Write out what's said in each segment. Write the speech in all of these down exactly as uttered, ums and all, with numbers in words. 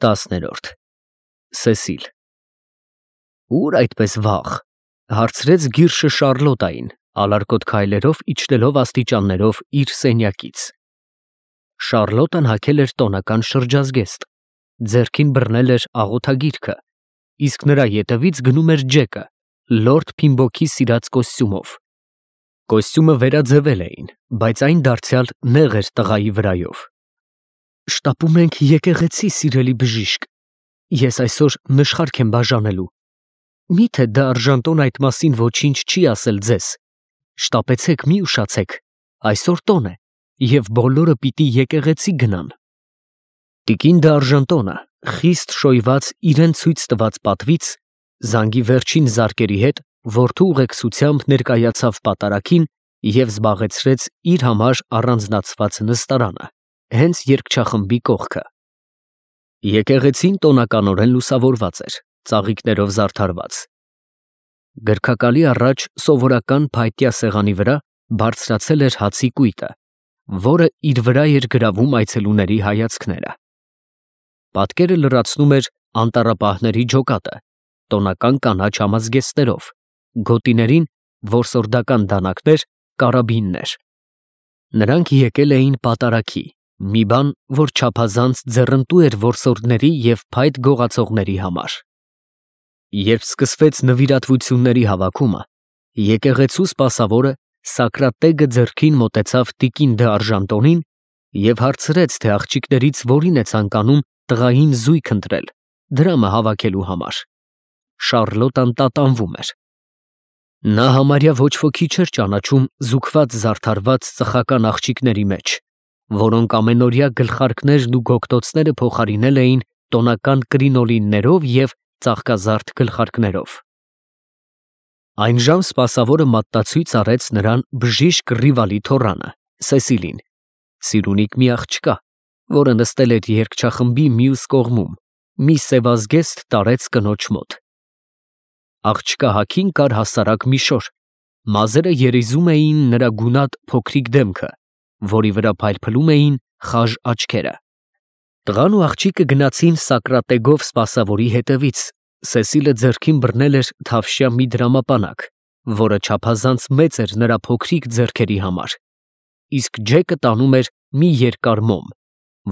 Տասներորդ Սեսիլ Ուր այդպես վաղ, հարցրեց Գիրշը Շարլոտային, ալարկոտ քայլերով իջնելով աստիճաններով իր սենյակից։ Շարլոտան հագել էր տոնական շրջազգեստ, ձեռքին բռնել էր աղոթագիրքը, իսկ նրա ետևից գնում էր Ջեկը, լորդ Փիմբոքի սիրած կոստյումով։ Կոստյումը վերաձևել էին, բայց այն դարձյալ նեղ էր տղայի վրայով։ Շտապում ենք եկեղեցի, սիրելի բժիշկ, ես այսօր նշխարք եմ բաժանելու։ Միթե դա արժանտոն այդ մասին ոչինչ չի ասել ձեզ։ Շտապեցեք, մի ուշացեք, այսօր տոն է, և բոլորը պիտի եկեղեցի գնան։ Տիկին Դ'Արժանտոնը, խիստ շոյված իրեն ցույց տված պատվից, զանգի վերջին զարկերի հետ որդու ուղեկցությամբ ներկայացավ պատարագին և զբաղեցրեց իր համար առանձնացված նստարանը, հենց երգչախմբի կողքը։ Եկեղեցին տոնականորեն լուսավորված էր, ծաղիկներով զարդարված։ Գրքակալի առաջ սովորական փայտյա սեղանի վրա բարձրացել էր հացի կույտը, որը իր վրա էր գրավում այցելուների հայացքները։ Պատկերը լրացնում էր անտառապահների ջոկատը, տոնական կանաչ համազգեստներով, գոտիներին որսորդական դանակներ, կարաբիններ։ Նրանք եկել էին պատարագի, մի բան, որ չափազանց ձեռնտու էր որսորդների և փայտ գողացողների համար։ Երբ սկսվեց նվիրատվությունների հավաքումը, եկեղեցու սպասավորը Սակրատեգը ձեռքին մոտեցավ տիկին Դ'Արժանտոնին և հարցրեց, թե աղջիկներից որին է ցանկանում տղային զույգ ընտրել, դրամը հավաքելու համար։ Շարլոտան տատանվում էր։ Նա համարյա ոչ ոքի չէր ճանաչում զուգված զարդարված ծխական աղջիկների մեջ, որոնք ամենօրյա գլխարկներն ու գոգտոցները փոխարինել էին տոնական կրինոլիններով և ծաղկազարդ գլխարկներով։ Այնժամ սպասավորը մատնացույց արեց նրան բժիշկ Ռիվալի թոռանը, Սեսիլին, սիրունիկ մի աղջկա, որը նստել էր երգչախմբի մյուս կողմում, մի սևազգեստ տարեց կնոջ մոտ։ Աղջկա հագին կար հասարակ մի շոր, մազերը երիզում էին նրա գունատ փոքրիկ դեմքը, որի վրա փայլփլում էին խաժ աչքերը։ Տղան ու աղջիկը գնացին Սակրատեգով սպասավորի հետևից, Սեսիլը ձեռքին բռնել էր թավշյա մի դրամապանակ, որը չափազանց մեծ էր նրա փոքրիկ ձեռքերի համար, իսկ Ջեկը տանում էր մի երկար մոմ,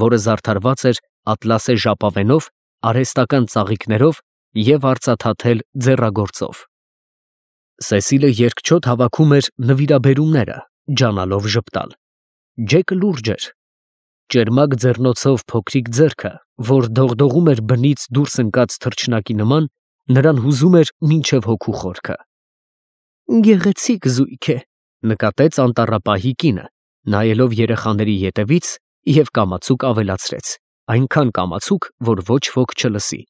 որը զարդարված էր ատլասե ժապավենով, արհեստական ծաղիկներով և արծաթաթել ձեռագործով։ Սեսիլը երկչոտ հավաքում էր նվիրաբերումները, ջանալով ժպտալ։ Ջեկը լուրջ էր։ Ճերմակ ձեռնոցով փոքրիկ ձեռքը, որ դողդողում էր բնից դուրս ընկած թռչնակի նման, նրան հուզում էր մինչև հոգու խորքը։ Գեղեցիկ զույգ է, նկատեց անտառապահի կինը, նայելով երեխաների ետևից և կամացուկ ավելացրեց, այնքան կամացուկ, որ ոչ ոք չլսի։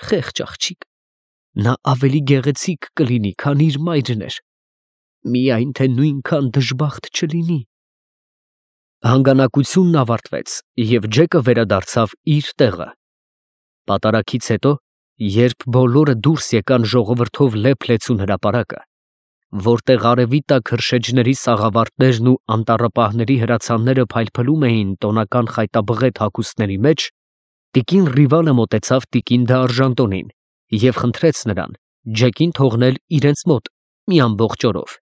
Խեղճ աղջիկ, նա ավելի գեղեցիկ կլինի, քան իր մայրն էր, միայն թե նույնքան դժբախտ չլինի։ Հանգանակությունն ավարտվեց, և Ջեկը վերադարձավ իր տեղը։ Պատարագից հետո, երբ բոլորը դուրս եկան ժողովրդով լեփ-լեցուն հրապարակը, որտեղ արևի տակ հրշեջների սաղավարտներն ու անտառապահների հրացանները փայլփլում էին տոնական խայտաբղետ հագուստների մեջ, տիկին Ռիվալը մոտեցավ տիկին Դ'Արժանտոնին և խնդրեց նրան Ջեկին թողնել իրենց մոտ մի ամբողջ օրով։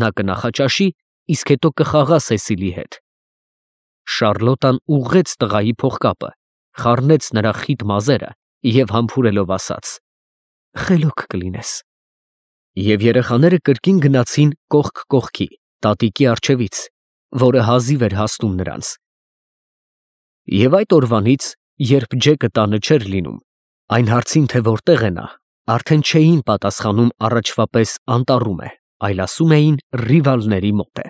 Նա կնախաճաշի, իսկ հետո կխաղա Սեսիլի հետ։ Շարլոտան ուղղեց տղայի փողկապը, խառնեց նրա խիտ մազերը և համբուրելով ասաց. «Խելոք կլինես»։ Եվ երեխաները կրկին գնացին կողք կողքի, տատիկի առջևից, որը հազիվ էր հասնում նրանց։ Եվ այդ օրվանից, երբ Ջեկը տանը չէր լինում, այն հարցին, թե որտեղ է նա, արդեն չէին պատասխանում առաջվա պես անտառում է, այլ ասում էին Ռիվալների մոտ է։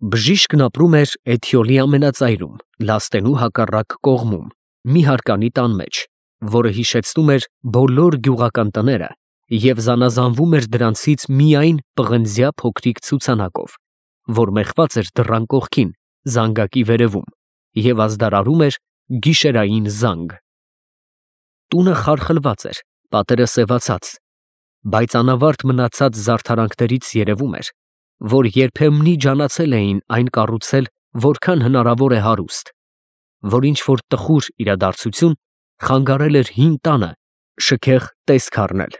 Բժիշկն ապրում էր Էթիոլի ամենածայրում, Լաստենու հակառակ կողմում, մի հարկանի տան մեջ, որը հիշեցնում էր բոլոր գյուղական տները և զանազանվում էր դրանցից միայն պղնձյա փոքրիկ ցուցանակով, որ մեխված էր դռան կողքին, զանգակի վերևում, և ազդարարում էր գիշերային զանգ։ Տունը խարխլված էր, պատերը սևացած, բայց անավարտ մնացած զարդարանքներից երևում էր, որ երբեմնի ջանացել էին այն կառուցել որքան հնարավոր է հարուստ, որ ինչ-որ տխուր իրադարձություն խանգարել էր հին տանը շքեղ տեսք առնել։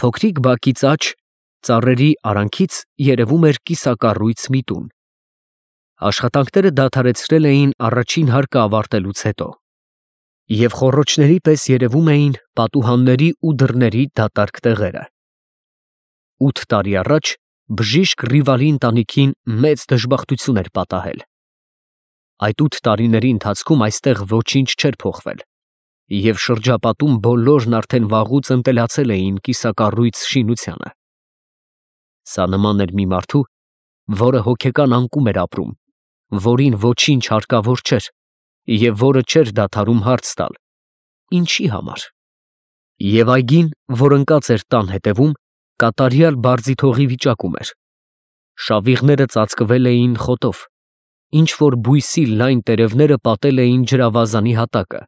Փոքրիկ բակից աջ, ծառերի արանքից երևում էր կիսակառույց մի տուն։ Աշխատանքները դադարեցրել էին առաջին հարկը ավարտելուց հետո, և խոռոչների պես երևում էին պատուհանների ու դռների դատարկ տեղերը։ Ութ տարի առաջ բժիշկ Ռիվալի ընտանիքին մեծ դժբախտություն էր պատահել։ Այդ ութ տարիների ընթացքում այստեղ ոչինչ չէր փոխվել, և շրջապատում բոլորն արդեն վաղուց ընտելացել էին կիսակառույց շինությանը։ Սա նման էր մի մարդու, որը հոգեկան անկում էր ապրում, որին ոչինչ հարկավոր չէր, և որը չէր դադարում հարց տալ. ինչի համար։ Եվ այգին, որ ընկած էր տան հետևում, կատարյալ բարձիթողի վիճակում էր։ Շավիղները ծածկվել էին խոտով, ինչ-որ բույսի լայն տերևները պատել էին ջրավազանի հատակը,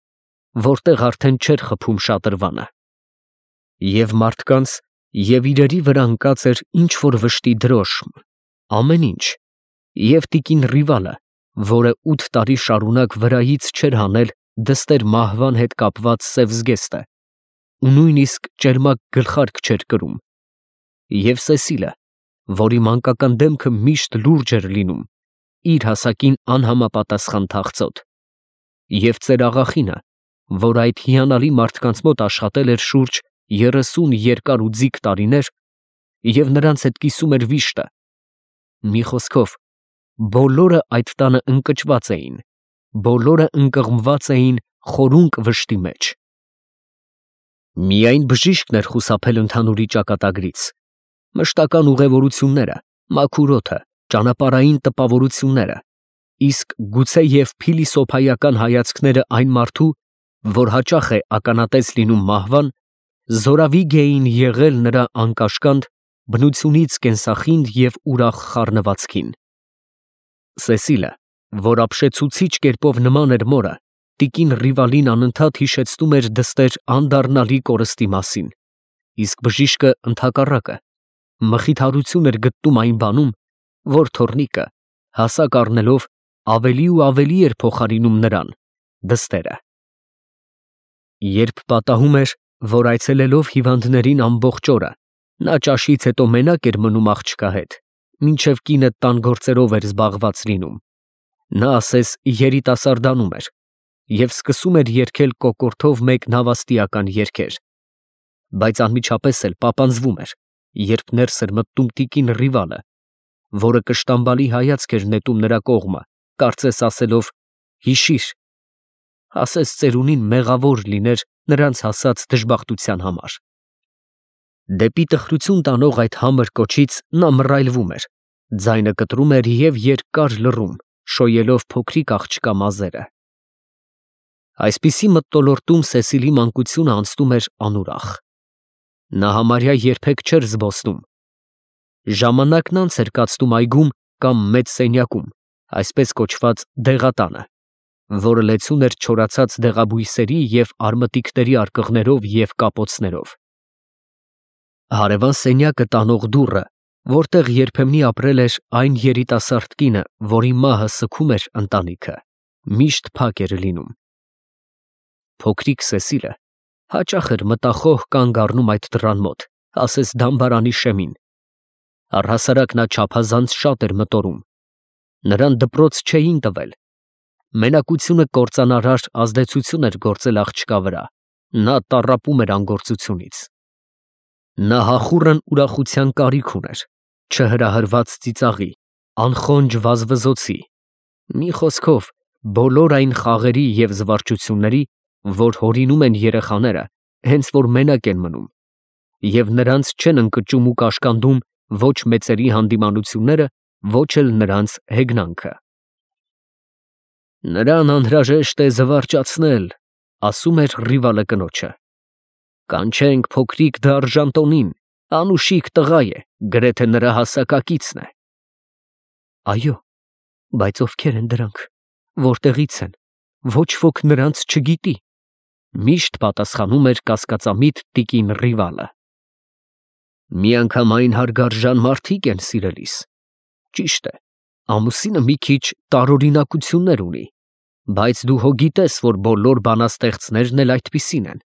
որտեղ արդեն չէր խփում շատրվանը։ Եվ մարդկանց և իրերի վրա ընկած էր ինչ-որ վշտի դրոշմ, ամեն ինչ, և տիկին Ռիվալը, որը ութ տարի շարունակ վրայից չէր հանել դստեր մահվան հետ կապված սև զգեստը ու նույնիսկ ճերմակ գլխարկ չէր կրում, և Սեսիլը, որի մանկական դեմքը միշտ լուրջ էր լինում, իր հասակին անհամապատասխան թախծոտ, և ծերաղախինը, որ այդ հիանալի մարդկանց մոտ աշխատել էր շուրջ երեսուն երկար ու ձիգ տարիներ և նրանց հետ կիսում էր վիշտը, մի խոսքով, բոլորը այդ տանը ընկճված էին, բոլորը ընկղմված էին խորունկ վշտի մեջ։ Միայն բժիշկն էր խուսափել ընդհանուրի ճակատագրից, մշտական ուղևորությունները, մաքուր օդը, ճանապարհային տպավորությունները, իսկ գուցեև փիլիսոփայական հայացքները այն մարդու, որ հաճախ է ականատես լինում մահվան, զորավիգ էին եղել նրա անկաշկանդ, բնությունից կենսախինդ և ուրախ խառնվածքին։ Սեսիլը, որ ապշեցուցիչ կերպով նման էր մորը, տիկին Ռիվալին անընդհատ հիշեցնում էր դստեր անդառնալի կորստի մասին, իսկ բժիշկը ընդհակառակը, մխիթարություն էր գտնում այն բանում, որ թոռնիկը, հասակ առնելով, ավելի ու ավելի էր փոխարինում նրան, դստերը։ Երբ պատահում էր, որ այցելելով հիվանդներին ամբողջ օրը, նա ճաշից հետո մենակ էր մնում աղջկա հետ, մինչև կինը տան գործերով էր զբաղված լինում, նա ասես երիտասարդանում էր և սկսում էր երգել կոկորդով մեկ նավաստիական երգեր, բայց անմիջապես էլ պապանձվում էր, երբ ներս էր մտնում տիկին Ռիվալը, որը կշտամբալի հայացք էր նետում նրա կողմը, կարծես ասելով. «Հիշի՛ր», ասես ծերունին մեղավոր լիներ նրանց հասած դժբախտության համար։ Դեպի տխրություն տանող այդ համր կոչից նա մռայլվում էր, ձայնը կտրում էր և երկար լռում, շոյելով փոքրիկ աղջկա մազերը։ Այսպիսի մթնոլորտում Սեսիլի մանկությունը անցնում էր անուրախ։ Նա համարյա երբեք չէր զբոսնում։ Ժամանակն անց էր կացնում այգում կամ մեծ սենյակում, այսպես կոչված դեղատանը, որը լեցուն էր չորացած դեղաբույսերի և արմատիկների արկղներով և կապոցներով։ Հարևան սենյակը տանող դուռը, որտեղ երբեմնի ապրել էր այն երիտասարդ կինը, որի մահը սգում էր ընտանիքը, միշտ փակ էր լինում։ Փոքրիկ Սեսիլը հաճախ էր մտախոհ կանգ առնում այդ դռան մոտ, ասես դամբարանի շեմին։ Առհասարակ նա չափազանց շատ էր մտորում։ Նրան դպրոց չէին տվել։ Մենակությունը կործանարար ազդեցություն էր գործել աղջկա վրա, նա տառապում էր անգործությունից։ Նա հախուռն ուրախության կարիք ուներ, չհրահրված ծիծաղի, անխոնջ վազվզոցի, մի խոսքով, բոլոր այն խաղերի և զվարճությունների, որ հորինում են երեխաները, հենց որ մենակ են մնում, և նրանց չեն ընկճում ու կաշկանդում ոչ մեծերի հանդիմանությունները, ոչ էլ նրանց հեգնանքը։ Նրան անհրաժեշտ է զվարճացնել, ասում էր Ռիվալը կնոջը։ Կանչենք փոքրիկ դարժան տոնին, անուշիկ տղա է, գրեթե նրա հասակակիցն է։ Այո, բայց ովքեր են դրանք, որտեղից են, ոչ ոք նրանց չգիտի, միշտ պատասխանում էր կասկածամիտ տիկին Ռիվալը։ Միանգամայն հարգարժան մարդիկ են սիրելիս։ Ճիշտ է, ամուսինը մի քիչ տարօրինակություններ ունի, Բայց դու հո գիտես, որ բոլոր բանաստեղծներն էլ այդպիսին են։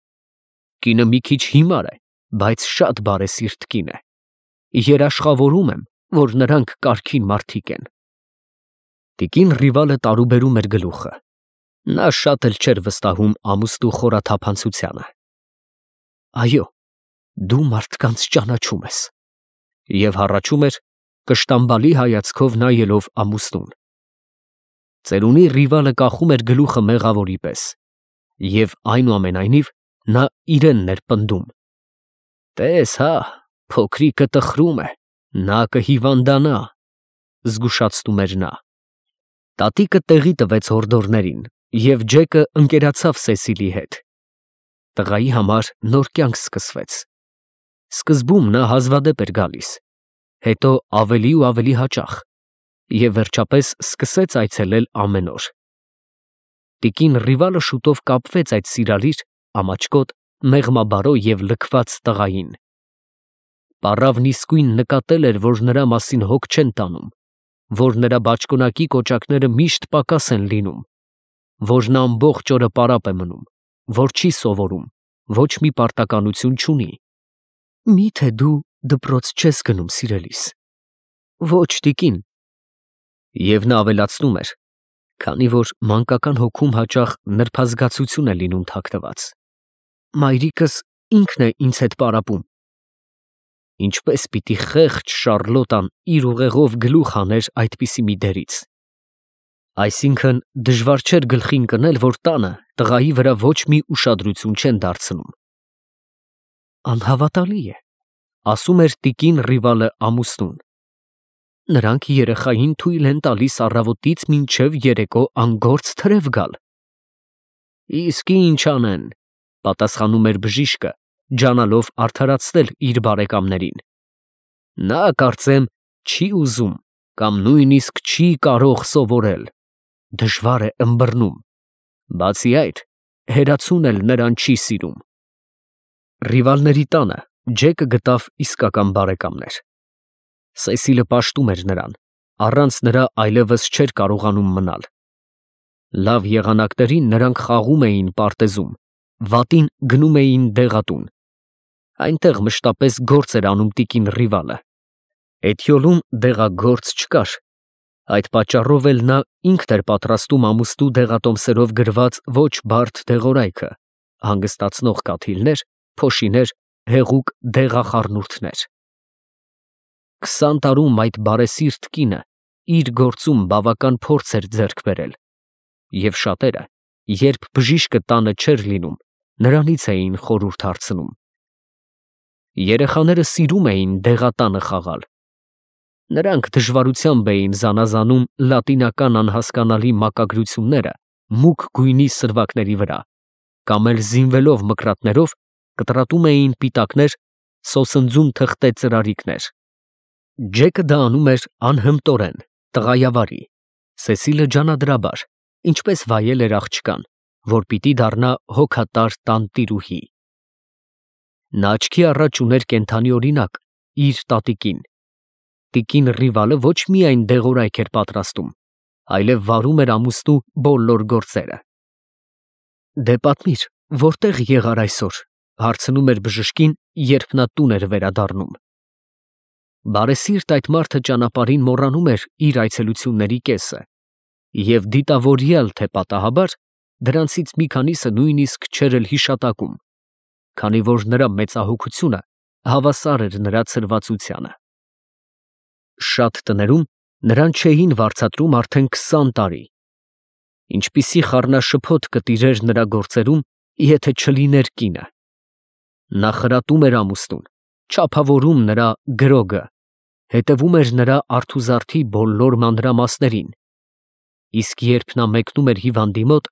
Կինը մի քիչ հիմար է, բայց շատ բարեսիրտ կին է։ Երաշխավորում եմ, որ նրանք կարգին մարդիկ են։ Տիկին Ռիվալը տարուբերում էր գլուխը։ Նա շատ էլ չէր վստահում ամուսնու խորաթափանցությանը։ Այո, դու մարդկանց ճանաչում ես։ Եվ հառաչում էր, կշտամբալի հայացքով նայելով ամուսնուն։ Ծերունի Ռիվալը կախում էր գլուխը մեղավորի պես, և այնուամենայնիվ նա իրենն էր պնդում. «Տես հա, փոքրիկը տխրում է, նա կհիվանդանա», զգուշացնում էր նա։ Տատիկը տեղի տվեց հորդորներին, և Ջեկը ընկերացավ Սեսիլի հետ։ Տղայի համար նոր կյանք սկսվեց։ Սկզբում նա հազվադեպ էր գալիս, հետո ավելի ու ավելի հաճախ, և վերջապես սկսեց այցելել ամեն օր։ Տիկին Ռիվալը շուտով կապվեց այդ սիրալիր, ամաչկոտ, մեղմաբարո և լքված տղային։ Պառավն իսկույն նկատել էր, որ նրա մասին հոգ չեն տանում, որ նրա բաճկոնակի կոճակները միշտ պակաս են լինում, որ նա ամբողջ օրը պարապ է մնում, որ չի սովորում, ոչ մի պարտականություն չունի։ Մի՞թե դու դպրոց չես գնում, սիրելիս։ Ոչ, տիկին։ Եվ նա ավելացնում էր, քանի որ մանկական հոգում հաճախ նրբազգացություն է լինում թաքնված. Մայրիկս ինքն է ինձ հետ պարապում։ Ինչպես պիտի խեղճ Շառլոտան իր ուղեղով գլուխ հաներ այդպիսի մի դերից։ Այսինքն դժվար չէր գլխին կնել, որ տանը տղայի վրա ոչ մի ուշադրություն չեն դարձնում։ Անհավատալի է, ասում էր տիկին Ռիվալը ամուսնուն։ Նրանք երեխային թույլ են տալիս առավոտից մինչև երեկո անգործ թրև գալ։ Իսկ ինչ անեն, պատասխանում էր բժիշկը, ջանալով արդարացնել իր բարեկամներին։ Նա, կարծեմ, չի ուզում կամ նույնիսկ չի կարող սովորել, դժվար է ըմբռնում, բացի այդ, հերացուն էլ նրան չի սիրում։ Ռիվալների տանը Ջեկը գտավ իսկական բարեկամներ։ Սեսիլը պաշտում էր նրան, առանց նրա այլևս չէր կարողանում մնալ։ Լավ եղանակներին նրանք խաղում էին պարտեզում, վատին գնում էին դեղատուն։ Այնտեղ մշտապես գործ էր անում տիկին Ռիվալը։ Էթյոլում դեղագործ չկար, այդ պատճառով էլ նա ինքն էր պատրաստում ամուսնու դեղատոմսերով գրված ոչ բարդ դեղորայքը, հանգստացնող կաթիլներ, փոշիներ, հեղուկ դեղախառնուրդներ։ Քսան տարում այդ բարեսիրտ կինը իր գործում բավական փորձ էր ձեռք բերել, և շատերը, երբ բժիշկը տանը չէր լինում, նրանից էին խորհուրդ հարցնում։ Երեխաները սիրում էին դեղատանը խաղալ։ Նրանք դժվարությամբ էին զանազանում լատինական անհասկանալի մակագրությունները մուգ գույնի սրվակների վրա, կամ էլ զինվելով մկրատներով կտրատում էին պիտակներ, սոսնձում թղթե ծրարիկներ։ Ջեկը դա անում էր անհմտորեն, տղայավարի, Սեսիլը ջանադրաբար, ինչպես վայել էր աղջկան, որ պիտի դառնա հոգատար տանտիրուհի։ Նա աչքի առաջ ուներ կենդանի օրինակ, իր տատիկին։ Տիկին Ռիվալը ոչ միայն դեղորայք էր պատրաստում, այլև վարում էր ամուսնու բոլոր գործերը։ Դե պատմիր, որտեղ եղար այսօր, հարցնում էր բժշկին, երբ նա տուն էր վերադառնում։ Բարեսիրտ այդ մարդը ճանապարհին մոռանում էր իր այցելությունների կեսը, և դիտավորյալ թե պատահաբար, դրանցից մի քանիսը նույնիսկ չէր էլ հիշատակում, քանի որ նրա մեծահոգությունը հավասար էր նրա ցրվածությանը։ Շատ տներում նրան չէին վարձատրում արդեն քսան տարի։ Ինչպիսի խառնաշփոթ կտիրեր նրա գործերում, եթե չլիներ կինը։ Նա խրատում էր ամուսնուն, չափավորում նրա գրոգը, հետևում էր նրա արթուզարդի բոլոր մանրամասներին, իսկ երբ նա մեկնում էր հիվանդի մոտ,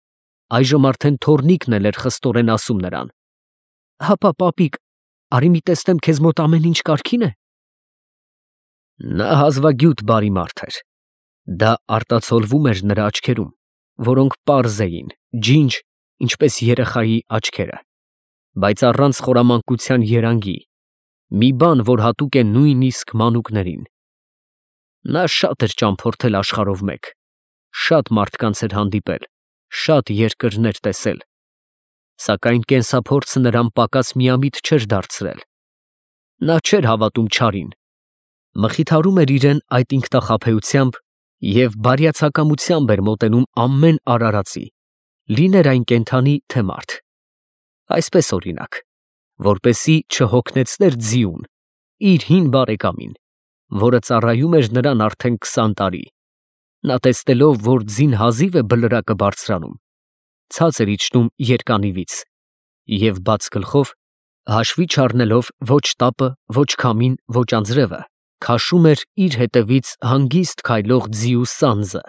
այժմ արդեն թոռնիկն էլ էր խստորեն ասում նրան. «Հապա, պապիկ, արի մի տեսնեմ քեզ մոտ ամեն ինչ կարգի՞ն է»։ Նա հազվագյուտ բարի մարդ էր։ Դա արտացոլվում էր նրա աչքերում, որոնք պարզ էին, ջինջ, ինչպես երեխայի աչքերը, բայց առանց խորամանկության երանգի, մի բան, որ հատուկ է նույնիսկ մանուկներին։ Նա շատ էր ճամփորդել աշխարհով մեկ, շատ մարդկանց էր հանդիպել, շատ երկրներ տեսել, սակայն կենսափորձը նրան պակաս միամիտ չէր դարձրել։ Նա չէր հավատում չարին, մխիթարում էր իրեն այդ ինքնախաբեությամբ և բարյացակամությամբ էր մոտենում ամեն արարածի, լիներ այն կենդանի, թե մարդ։ Այսպես օրինակ, որպեսզի չհոգնեցներ ձիուն, իր հին բարեկամին, որը ծառայում էր նրան արդեն քսան տարի, նա տեսնելով, որ ձին հազիվ է բլրակը բարձրանում, ցած էր իջնում երկանիվից և բաց գլխով, հաշվի չառնելով ոչ տապը, ոչ քամին, ոչ անձրևը, քաշում էր իր հետևից հանգիստ քայլող ձիու սանձը։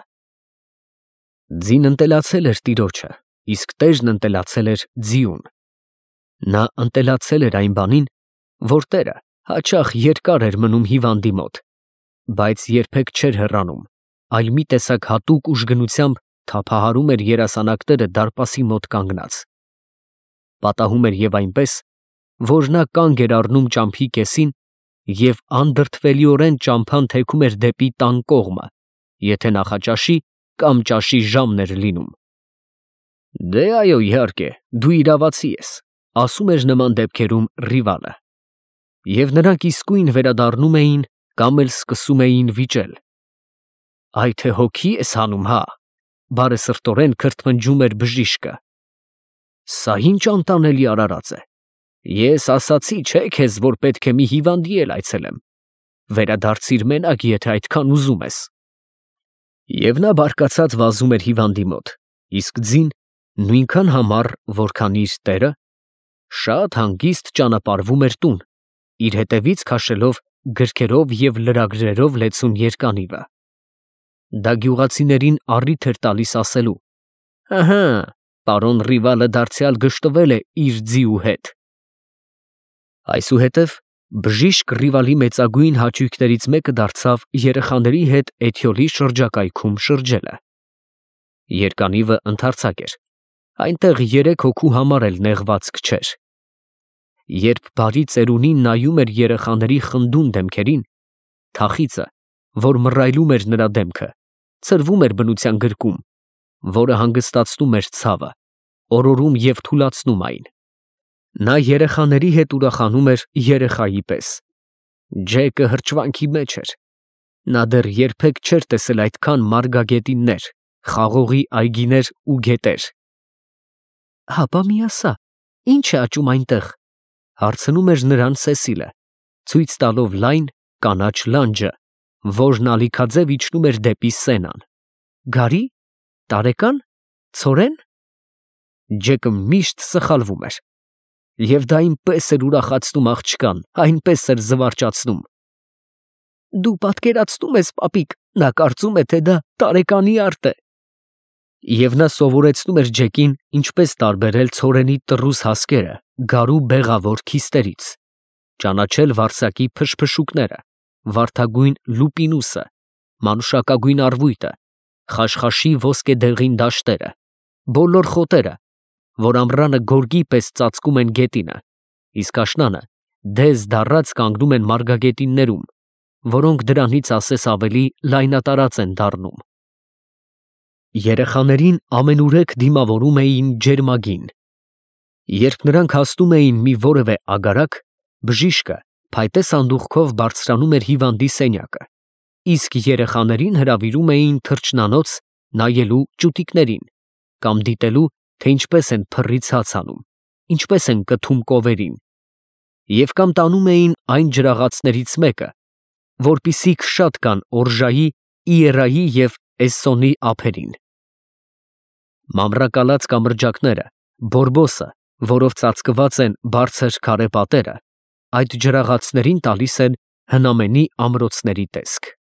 Ձին ընտելացել էր տիրոջը, իսկ տերն ընտելացել էր ձիուն։ Նա ընտելացել էր այն բանին, որ տերը հաճախ երկար էր մնում հիվանդի մոտ, բայց երբեք չէր հեռանում, այլ մի տեսակ հատուկ ուժգնությամբ թափահարում էր երասանակները դարպասի մոտ կանգնած։ Պատահում էր և այնպես, որ նա կանգ էր առնում ճամփի կեսին և անդրդվելիորեն ճամփան թեքում էր դեպի տան կողմը, եթե նախաճաշի կամ ճաշի ժամն էր լինում։ «Դե այո, իհարկե, դու իրավացի ես», ասում էր նման դեպքերում Ռիվալը, և նրանք իսկույն վերադառնում էին կամ էլ սկսում էին վիճել։ «Այ թե հոգի ես հանում, հա», բարեսրտորեն քրթմնջում էր բժիշկը։ «Սա ի՞նչ անտանելի արարած է։ Ես ասացի, չէ՞ քեզ, որ պետք է մի հիվանդի էլ այցելեմ։ Վերադարձիր մենակ, եթե այդքան ուզում ես»։ Եվ նա բարկացած վազում էր հիվանդի մոտ, իսկ ձին նույնքան համառ, որքան իր տերը, շատ հանգիստ ճանապարհվում էր տուն, իր հետևից քաշելով գրքերով և լրագրերով լեցուն երկանիվը։ Դա գյուղացիներին առիթ էր տալիս ասելու. «Ըհը, պարոն Ռիվալը դարձյալ գժտվել է իր ձիու հետ»։ Այսուհետև բժիշկ Ռիվալի մեծագույն հաճույքներից մեկը դարձավ երեխաների հետ էթյոլի շրջակայքում շրջելը։ Երկանիվը ընդարձակ էր, այնտեղ երեք հոգու համար էլ նեղվածք չէր։ Երբ բարի ծերունին նայում էր երեխաների խնդուն դեմքերին, թախիծը, որ մռայլում էր նրա դեմքը, ցրվում էր բնության գրկում, որը հանգստացնում էր ցավը, օրորում և թուլացնում այն։ Նա երեխաների հետ ուրախանում էր երեխայի պես։ Ջեկը հրճվանքի մեջ էր։ Նա դեռ երբեք չէր տեսել այդքան մարգագետիններ, խաղողի այգիներ ու գետեր։ «Հապա մի ասա, ի՞նչ է աճում այնտեղ», հարցնում էր նրան Սեսիլը, ցույց տալով լայն, կանաչ լանջը, որն ալիքաձև իջնում էր դեպի Սենան։ «Գարի՞, տարեկա՞ն, ցորե՞ն»։ Ջեկը միշտ սխալվում էր։ Եվ դա այնպես էր ուրախացնում աղջկան, այնպես էր զվարճացնում։ «Դու պատկերացնում ես, պապիկ, նա կարծում է, թե դա տարեկանի արտ է»։ Եվ նա սովորեցնում էր Ջեկին ինչպես տարբերել ցորենի տռուս հասկերը գարու բեղավոր քիստերից, ճանաչել վարսակի փշփշուկները, վարդագույն լուպինուսը, մանուշակագույն առվույտը, խաշխաշի ոսկեդեղին դաշտերը, բոլոր խոտերը, որ ամռանը գորգի պես ծածկում են գետինը, իսկ աշնանը դեզ դառած կանգնում են մարգագետիններում, որոնք դրանից ասես ավելի լայնատարած են դառնում։ Երեխաներին ամենուրեք դիմավորում էին ջերմագին։ Երբ նրանք հասնում էին մի որևէ ագարակ, բժիշկը փայտե սանդուղքով բարձրանում էր հիվանդի սենյակը, իսկ երեխաներին հրավիրում էին թռչնանոց նայելու ճուտիկներին կամ դիտելու, թե ինչպես են փռի ցած անում, ինչպես են կթում կովերին, և կամ տանում էին այն ջրաղացներից մեկը, որպիսիք շատ կան Օրժայի, Իերայի և Էսսոնի ափերին։ Մամռակալած կամրջակները, բորբոսը, որով ծածկված են բարձր քարե պատերը, այդ ջրաղացներին տալիս են հնամենի ամրոցների տեսք։